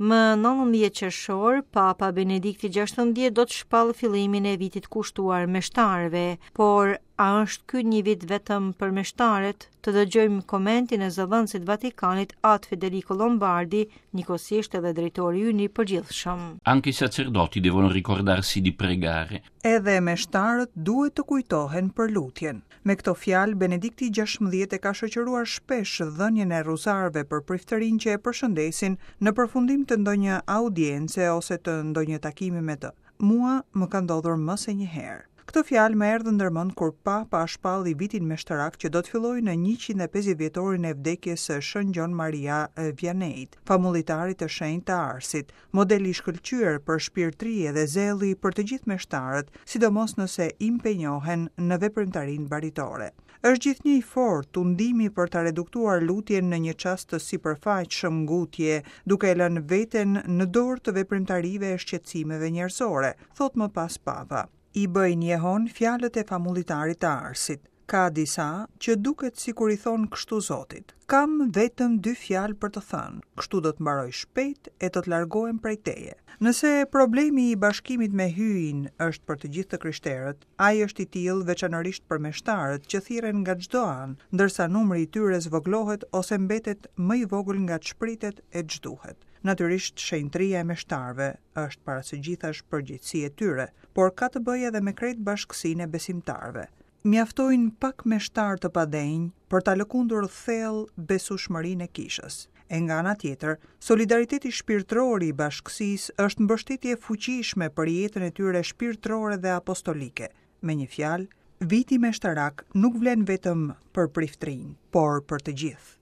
Më 19 qershor, Papa Benedikti XVI do të shpallë fillimin e vitit kushtuar meshtarëve, por a është ky një vit vetëm për meshtarët? Të dëgjojmë komentin e zëdhënësit të Vatikanit At Federico Lombardi, njëkohësisht edhe drejtori ynë i përgjithshëm. Anche i sacerdoti devono ricordarsi di pregare. Edhe meshtarët duhet të kujtohen për lutjen. Me këto fjalë, Benedikti 16 e ka shoqëruar shpesh dhënien e rruzarëve për priftërinj që e përshëndesin në përfundim të ndonjë audience ose të ndonjë takimi me të. Mua më ka ndodhur më se një herë. Këto fjalë më erdhën ndërmend kur Papa shpalli vitin meshtarak që do të fillojë në 150 vjetorin e vdekjes së Shën Gjon Maria Vianneyt, famullitarit të shenjtë të Arsit, model i shkëlqyer përshpirtërie dhe zelli për të gjithë meshtarët, sidomos nëse impenjohen në veprimtarinë baritore. Është gjithnjë i fortë tundimi për ta reduktuar lutjen në një çast të sipërfaqshëm ngutje, duke e lënë veten në dorë të veprimtarive e shqetësimeve njerëzore, thotë më pas Papa. I bëjnë jehonë fjalët e famullitarit të Arsit. Ka disa që duket sikur i thonë kështu Zotit, Kam vetëm dy fjalë për të thënë, kështu do të mbaroj shpejt e do të largohem prej teje. Nëse problemi i bashkimit me Hyjin është për të gjithë të krishterët, ai është i tillë veçanërisht për meshtarët që thirren nga çdo anë, ndërsa numri i tyre zvogëlohet ose mbetet më i vogël nga ç'pritet e ç'duhet. Natyrisht shenjtëria e meshtarëve është para së gjithash përgjegjësi e tyre, por ka të bëjë edhe me krejt bashkësinë e besimtarëve. Mjaftojnë pak meshtarë të padenjë për ta lëkundur thellë besueshmërinë e kishës. E nga ana tjetër, solidariteti shpirtëror i bashkësisë është mbështetje e fuqishme për jetën e tyre shpirtërore dhe apostolike. Me një fjalë, viti meshtarak nuk vlen vetëm për priftërinjtë, por për të gjithë.